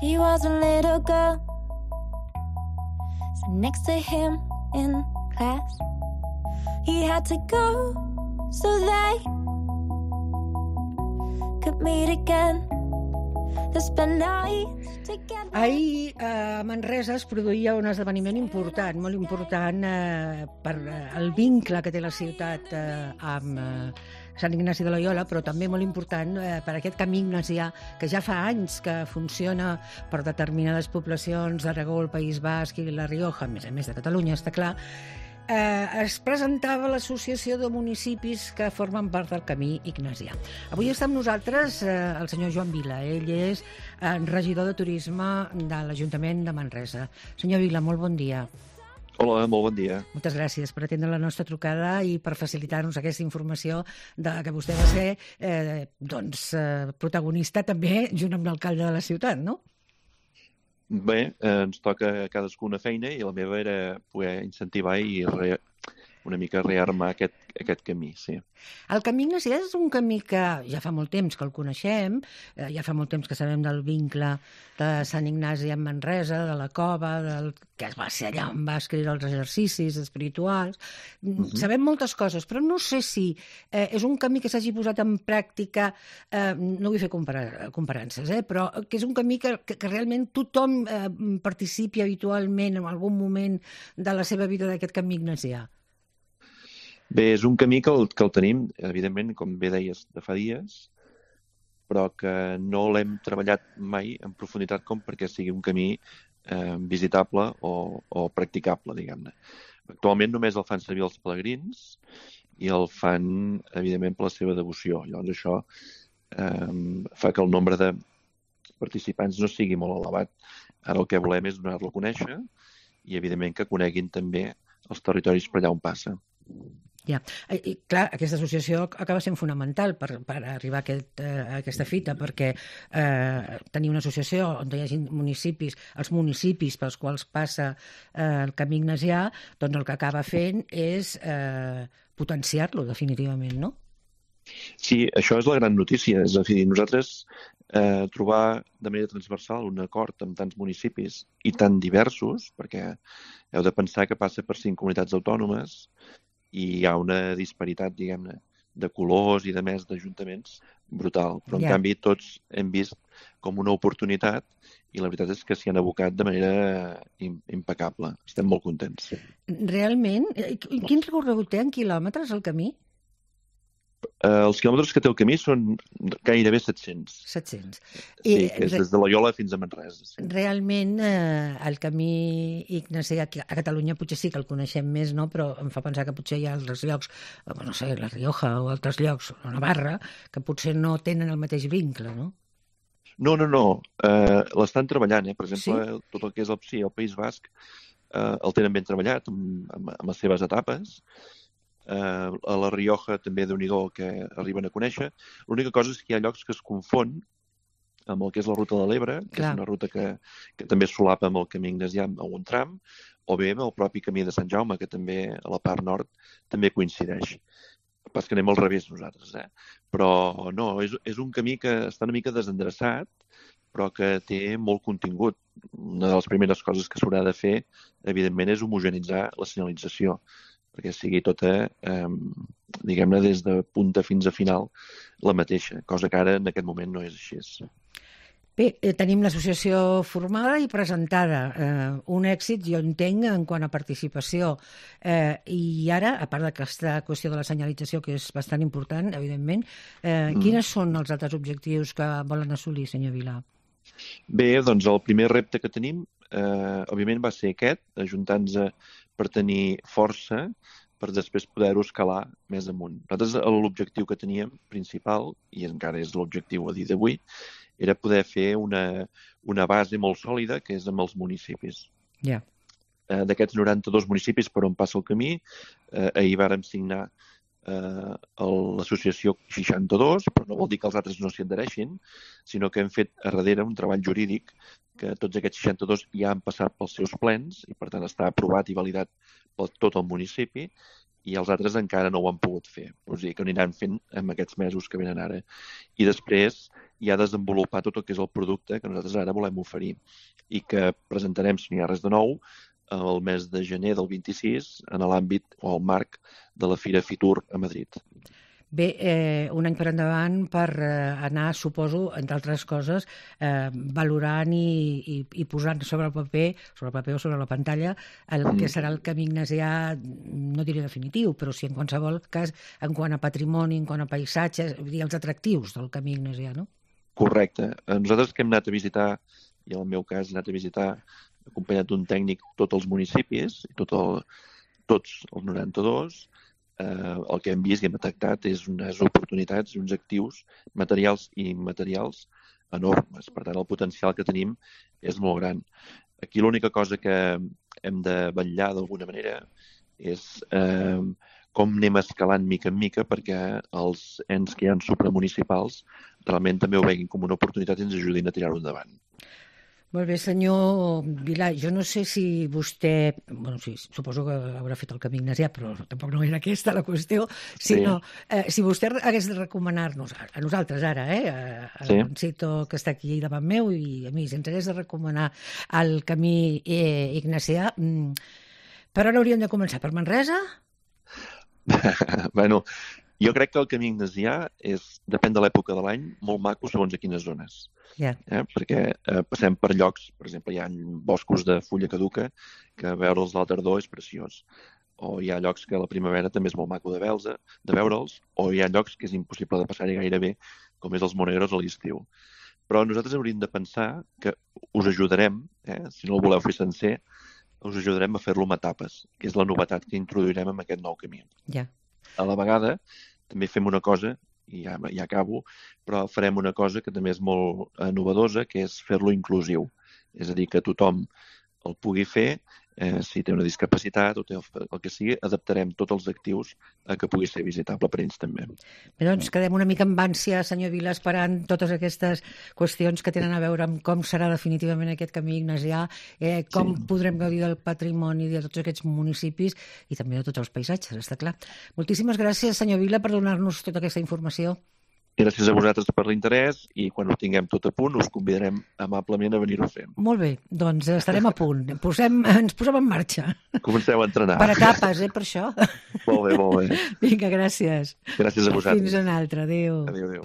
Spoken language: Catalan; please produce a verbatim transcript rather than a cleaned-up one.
She was a little girl, sat next to him in class. He had to go so they could meet again. Ahir a Manresa es produïa un esdeveniment important, molt important eh, per el vincle que té la ciutat eh, amb eh, Sant Ignasi de Loyola, però també molt important eh, per aquest camí ignasià que ja fa anys que funciona per determinades poblacions d'Aragó, el País Basc i la Rioja, a més a més de Catalunya, està clar. Eh, es presentava l'associació de municipis que formen part del camí ignasià. Avui està amb nosaltres eh, el senyor Joan Vila. Ell és eh, regidor de turisme de l'Ajuntament de Manresa. Senyor Vila, molt bon dia. Hola, molt bon dia. Moltes gràcies per atendre la nostra trucada i per facilitar-nos aquesta informació de que vostè va ser eh, doncs, eh, protagonista també junt amb l'alcalde de la ciutat, no? Bé, eh, ens toca a cadascú una feina i la meva era poder incentivar i re, una mica rearmar aquest, aquest camí, sí. El camí ignasià és un camí que ja fa molt temps que el coneixem, eh, ja fa molt temps que sabem del vincle de Sant Ignasi amb Manresa, de la cova, del, que va ser allà on va escriure els exercicis espirituals. Uh-huh. Sabem moltes coses, però no sé si eh, és un camí que s'hagi posat en pràctica, eh, no vull fer comparar, comparances, eh, però que és un camí que, que, que realment tothom eh, participi habitualment en algun moment de la seva vida d'aquest camí ignasià. Bé, és un camí que el, que el tenim, evidentment, com bé deies, de fa dies, però que no l'hem treballat mai en profunditat com perquè sigui un camí eh, visitable o, o practicable, diguem-ne. Actualment només el fan servir els pelegrins i el fan, evidentment, per la seva devoció. Llavors això eh, fa que el nombre de participants no sigui molt elevat. Ara el que volem és donar-lo a conèixer i, evidentment, que coneguin també els territoris per allà on passa. Ja, i clar, aquesta associació acaba sent fonamental per, per arribar a, aquest, a aquesta fita, perquè eh, tenir una associació on hi hagi municipis, els municipis pels quals passa eh, el camí ignasià, doncs el que acaba fent és eh, potenciar-lo definitivament, no? Sí, això és la gran notícia. És a dir, nosaltres eh, trobar de manera transversal un acord amb tants municipis i tan diversos, perquè heu de pensar que passa per cinc comunitats autònomes i hi ha una disparitat, diguem-ne, de colors i de més d'ajuntaments brutal. Però, en yeah. canvi, tots hem vist com una oportunitat i la veritat és que s'hi han abocat de manera impecable. Estem molt contents. Realment? Quin recorregut té en quilòmetres el camí? Uh, els quilòmetres que té el camí són gairebé set-cents. set-cents. Sí, I, que és des de Loyola fins a Manresa. Sí. Realment, eh, el camí ignasià a Catalunya potser sí que el coneixem més, no? Però em fa pensar que potser hi ha altres llocs, no sé, la Rioja o altres llocs, o Navarra, que potser no tenen el mateix vincle, no? No, no, no. Uh, l'estan treballant, eh? Per exemple, sí? tot el que és el, sí, el País Basc uh, el tenen ben treballat amb, amb, amb les seves etapes. Uh, a la Rioja també déu-n'hi-do que arriben a conèixer. L'única cosa és que hi ha llocs que es confon amb el que és la ruta de l'Ebre, que Clar. és una ruta que, que també solapa amb el camí ignasià a un tram, o bé amb el propi camí de Sant Jaume, que també a la part nord també coincideix. Pas que anem al revés nosaltres, eh? Però no, és, és un camí que està una mica desendreçat, però que té molt contingut. Una de les primeres coses que s'haurà de fer, evidentment, és homogenitzar la senyalització, perquè sigui tota, eh, diguem-ne, des de punta fins a final la mateixa, cosa que ara en aquest moment no és així. Bé, eh, tenim l'associació formada i presentada. Eh, un èxit, jo entenc, en quant a participació. Eh, I ara, a part d'aquesta qüestió de la senyalització, que és bastant important, evidentment, eh, mm. quines són els altres objectius que volen assolir, senyor Vila? Bé, doncs el primer repte que tenim, eh, òbviament, va ser aquest, ajuntar-nos per tenir força per després poder-ho escalar més amunt. Nosaltres l'objectiu que teníem principal, i encara és l'objectiu a dia d'avui, era poder fer una, una base molt sòlida, que és amb els municipis. Yeah. Eh, d'aquests noranta-dos municipis per on passa el camí, eh, ahir vàrem signar eh, l'associació seixanta-dos, però no vol dir que els altres no s'hi adhereixin, sinó que hem fet a darrere un treball jurídic que tots aquests seixanta-dos ja han passat pels seus plens i, per tant, està aprovat i validat per tot el municipi i els altres encara no ho han pogut fer. O sigui, que ho aniran fent en aquests mesos que venen ara. I després i a desenvolupar tot el que és el producte que nosaltres ara volem oferir i que presentarem, si no hi ha res de nou, el mes de gener del vint-i-sis en l'àmbit o al marc de la Fira Fitur a Madrid. Bé, eh, un any per endavant per eh, anar, suposo, entre altres coses, eh, valorant i, i, i posant sobre el paper, sobre el paper o sobre la pantalla, el mm. que serà el camí ignasià, no diré definitiu, però sí en qualsevol cas, en quant a patrimoni, en quant a paisatges, vull dir, els atractius del camí ignasià, no? Correcte. Nosaltres que hem anat a visitar, i en el meu cas he anat a visitar, acompanyat d'un tècnic, tots els municipis, tot el, tots els noranta-dos, eh, el que hem vist i hem detectat és unes oportunitats i uns actius materials i immaterials enormes. Per tant, el potencial que tenim és molt gran. Aquí l'única cosa que hem de vetllar d'alguna manera és eh, com anem escalant mica en mica perquè els ens que hi ha supramunicipals realment també ho veguin com una oportunitat i ens ajudin a tirar-ho endavant. Molt bé, senyor Vilà, jo no sé si vostè, bueno, sí, suposo que haurà fet el camí ignasià, però tampoc no era aquesta la qüestió, sinó sí. eh, si vostè hagués de recomanar-nos, a nosaltres ara, eh, a, a sí. l'Oncito que està aquí davant meu i a mi, si ens hagués de recomanar el camí eh, ignasià, per on hauríem de començar? Per Manresa? Bueno, jo crec que el camí ignasià és, depèn de l'època de l'any, molt maco segons a quines zones. Yeah. Eh? Perquè eh, passem per llocs, per exemple, hi ha boscos de fulla caduca que veure'ls a la tardor és preciós. O hi ha llocs que a la primavera també és molt maco de veure'ls, de veure'ls o hi ha llocs que és impossible de passar-hi gaire bé, com és els Monegros a l'estiu. Però nosaltres hauríem de pensar que us ajudarem, eh? Si no el voleu fer sencer, us ajudarem a fer-lo amb etapes, que és la novetat que introduirem en aquest nou camí. Yeah. A la vegada, també fem una cosa, i ja, ja acabo, però farem una cosa que també és molt eh, novedosa, que és fer-lo inclusiu. És a dir, que tothom el pugui fer, eh, si té una discapacitat o té el, el que sigui, adaptarem tots els actius a que pugui ser visitable per ells també. Bé, doncs quedem una mica amb ànsia, senyor Vila, esperant totes aquestes qüestions que tenen a veure amb com serà definitivament aquest camí ignasià, eh, com sí. podrem gaudir del patrimoni de tots aquests municipis i també de tots els paisatges, està clar. Moltíssimes gràcies, senyor Vila, per donar-nos tota aquesta informació. Gràcies a vosaltres per l'interès i quan ho tinguem tot a punt us convidarem amablement a venir-ho fent. Molt bé, doncs estarem a punt. Posem, ens posem en marxa. Comenceu a entrenar. Per etapes, eh, per això. Molt bé, molt bé. Vinga, gràcies. Gràcies a vosaltres. Fins una altra. Adéu. Adéu, adéu.